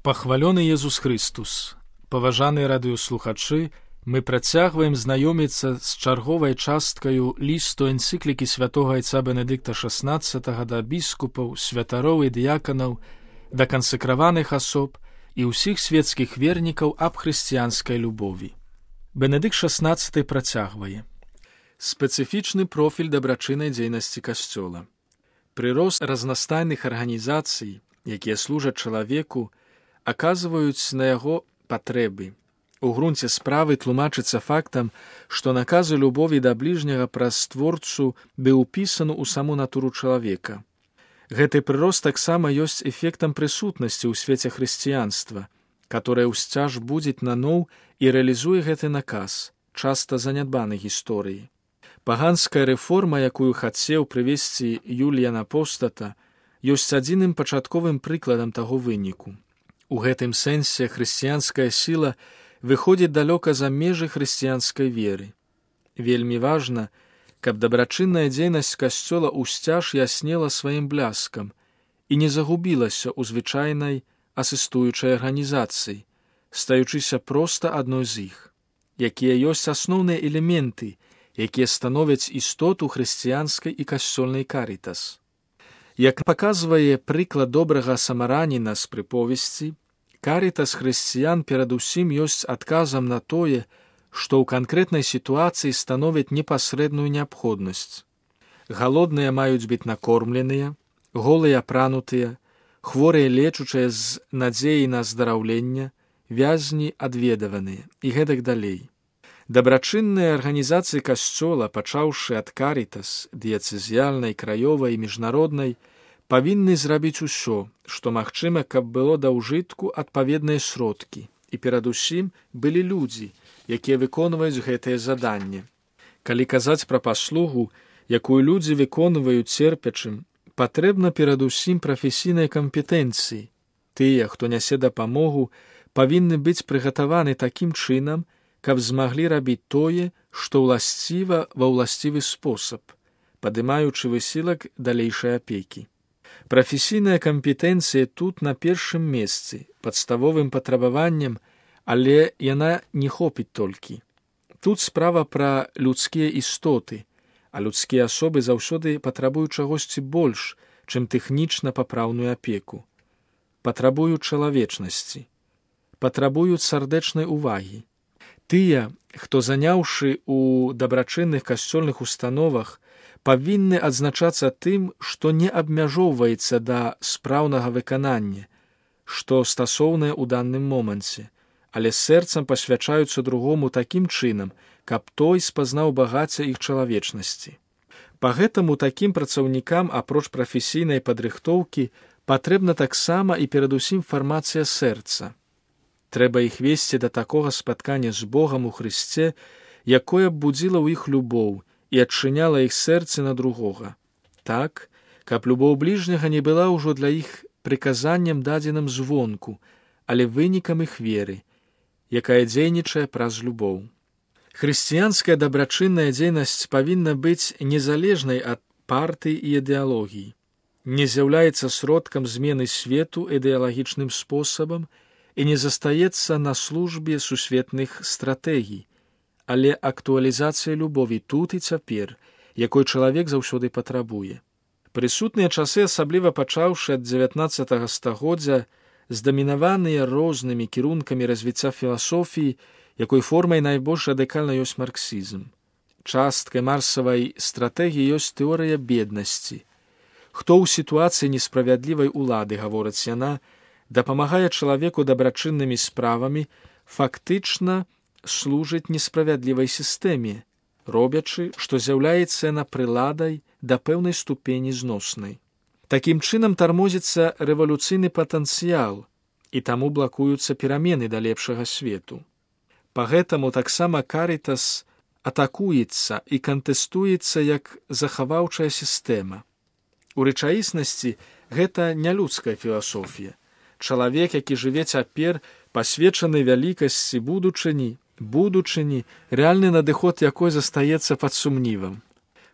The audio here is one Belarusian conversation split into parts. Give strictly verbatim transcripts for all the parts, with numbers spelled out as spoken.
Пахвалёны Езус Христус! Паважаныя радыёслухачы, мы працягваем знаёміцца з чарговай часткаю лісту энцыклікі святога айца Бенедыкта шаснаццатага да біскупаў, святароў і дыяканаў, да кансакраваных асоб і ўсіх светскіх вернікаў аб хрысціянскай любові. Бенедыкт шаснаццаты працягвае. Спецыфічны профіль дабрачыннай дзейнасці касцёла. Прырост разнастайных арганізацый, якія служаць чалавеку, аказваюць на яго патрэбы. У грунце справы тлумачыцца фактам, што наказы любові да бліжняга праз створцу быў упісаны ў саму натуру чалавека. Гэты прырост таксама ёсць эфектам прысутнасці ў свеце хрысціянства, которое ўсцяж будзіць наноў і рэалізуе гэты наказ, часта занядбаны гісторыі. Паганская рэформа, якую хацеў прывесці Юліян Апостата, ёсць адзіным пачатковым прыкладам таго выніку. У гэтым сэнсе хрысціянская сіла выходзіць далёка за межы хрысціянскай веры. Вельмі важна, каб дабрачынная дзейнасць касцёла ўсцяж яснела сваім бляскам і не загубілася ў звычайнай асістуючай арганізацыі, стаючыся проста адной з іх, якія ёсць асноўныя элементы, якія становяць істоту хрысціянскай і касцёльнай карітас. Як паказвае прыклад добрага самараніна з прыповесці, карітас хрысціян перадусім ёсць адказам на тое, што ў канкрэтнай сітуацыі становіць непасрэдную неабходнасць. Галодныя маюць быць накормленыя, голыя апранутыя, хворыя лечучыя з надзеяй на аздараўленне, вязні адведаваныя і гэтак далей. Дабрачынныя арганізацыі касцёла, пачаўшы ад карітас, дыяцэзіяльнай, краёвай і міжнароднай, павінны зрабіць усё, што магчыма, каб было да ўжытку адпаведныя сродкі, і перадусім былі людзі, якія выконваюць гэтае заданне. Калі казаць пра паслугу, якую людзі выконваюць церпячым, патрэбна перадусім прафесійнай кампетэнцыі. Тыя, хто нясе дапамогу, павінны быць прыгатаваны такім чынам, каб змаглі рабіць тое, што ўласціва ва ўласцівы спосаб, падымаючы высілак далейшай апекі. Прафесійная кампетэнцыя тут на першым месцы, падставовым патрабаваннем, але яна не хопіць толькі. Тут справа пра людскія істоты, а людскія асобы заўсёды патрабуюць чагосьці больш, чым тэхнічна папраўную апеку. Патрабуюць чалавечнасці, патрабуюць сардэчнай увагі. Тыя, хто заняўшы ў дабрачынных касцёльных установах, павінны адзначацца тым, што не абмяжоўваецца да спраўнага выканання, што стасоўнае ў данным моманце, але сэрцам пасвячаюцца другому такім чынам, каб той спазнаў багацце іх чалавечнасці. Па гэтаму такім працаўнікам, апроч прафесійнай падрыхтоўкі, патрэбна таксама і перадусім фармацыя сэрца. Трэба іх весці да такога спаткання з Богам у Хрысце, якое б будзіла ў іх любоў і адчыняла іх сэрцы на другога. Так, каб любоў бліжняга не была ўжо для іх прыказаннем дадзеным звонку, але вынікам іх веры, якая дзейнічае праз любоў. Хрысціянская дабрачынная дзейнасць павінна быць незалежнай ад партый і ідэалогій, не з'яўляецца сродкам змены свету ідэалагічным спосабам і не застаецца на службе сусветных стратэгій, але актуалізацыя любові тут і цяпер, якой чалавек заўсёды патрабуе. Прысутныя часы, асабліва пачаўшы ад дзевятнаццатага стагоддзя, здамінаваныя рознымі кірункамі развіцця філасофіі, якой формай найбольш радыкальна ёсць марксізм. Часткай марсавай стратэгіі ёсць тэорыя беднасці. Хто ў сітуацыі несправядлівай улады, гаворыць яна, дапамагае чалавеку дабрачыннымі справамі, фактычна служыць несправядлівай сістэме, робячы, што з'яўляецца яна прыладай да пэўнай ступені зноснай. Такім чынам тармозіцца рэвалюцыйны патэнцыял, і таму блакуюцца перамены да лепшага свету. Па гэтаму таксама карітас атакуецца і кантэстуецца як захаваўчая сістэма. У рэчаіснасці гэта не людская філасофія. Чалавек, які жыве цяпер, пасвечаны вялікасці будучыні, будучыні, рэальны надыход якой застаецца пад сумнівам.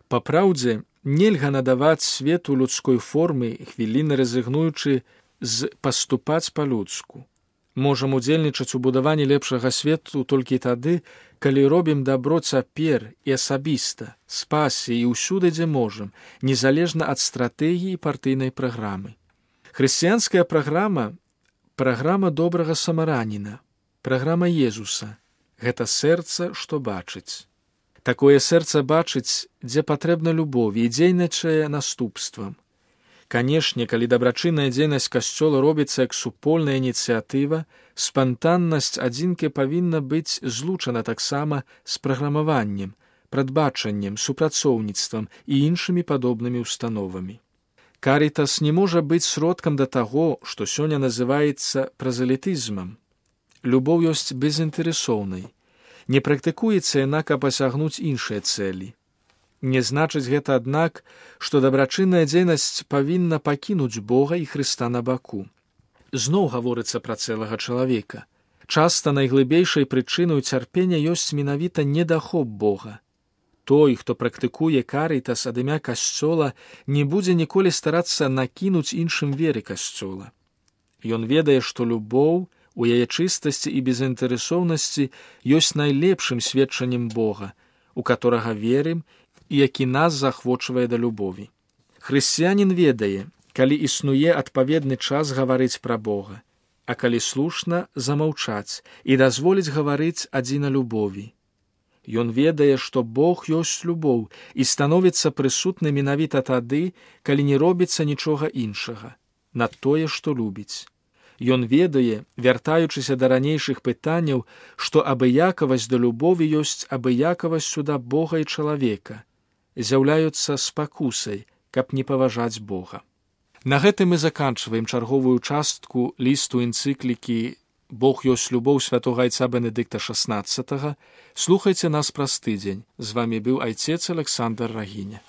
Па праўдзе, нельга надаваць свету людской формы, хвіліны разыгнуючы з паступаць па-людску. Можам удзельнічаць у будаванні лепшага свету толькі тады, калі робім дабро цяпер і асабіста, з пасіяй і ўсюды, дзе можам, незалежна ад стратэгіі і партыйнай праграмы. Хрысціянская праграма – праграма добрага самараніна, праграма Езуса. Гэта сэрца, што бачыць. Такое сэрца бачыць, дзе патрэбна любоў і дзейнічае наступствам. Канешне, калі дабрачынная дзейнасць касцёла робіцца як супольная ініцыятыва, спантаннасць адзінкі павінна быць злучана таксама з праграмаваннем, прадбачаннем, супрацоўніцтвам і іншымі падобнымі ўстановамі. Карітас не можа быць сродкам да таго, што сёння называецца празелітызмам. Любоў ёсць безінтарэсоўнай. Не практыкуецца яна, каб асягнуць іншыя цэлі. Не значыць гэта, аднак, што дабрачынная дзейнасць павінна пакінуць Бога і Хрыста на баку. Зноў гаворыцца пра цэлага чалавека. Часта найглыбейшай прычынай цярпення ёсць менавіта недахоп Бога. Той, хто практыкуе карітас ад імя касцёла, не будзе ніколі старацца накінуць іншым веры касцёла. Ён ведае, што любоў у яе чыстасці і безінтарэсоўнасці ёсць найлепшым сведчаннем Бога, у каторага верым і які нас захвочвае да любові. Хрысціянін ведае, калі існуе адпаведны час гаварыць пра Бога, а калі слушна замаўчаць і дазволіць гаварыць адзіна любові. Ён ведае, што Бог ёсць любоў і становіцца прысутны менавіта тады, калі не робіцца нічога іншага, на тое, што любіць. Ён ведае, вяртаючыся да ранейшых пытанняў, што абыякавасць да любові ёсць абыякавасцю да Бога і чалавека, з'яўляюцца спакусай, каб не паважаць Бога. На гэтым мы заканчваем чарговую частку лісту энцыклікі «Бог ёсць любоў» святога айца Бенедыкта шаснаццатага. Слухайце нас праз тыдзень. З вамі быў айцец Александр Рагіня.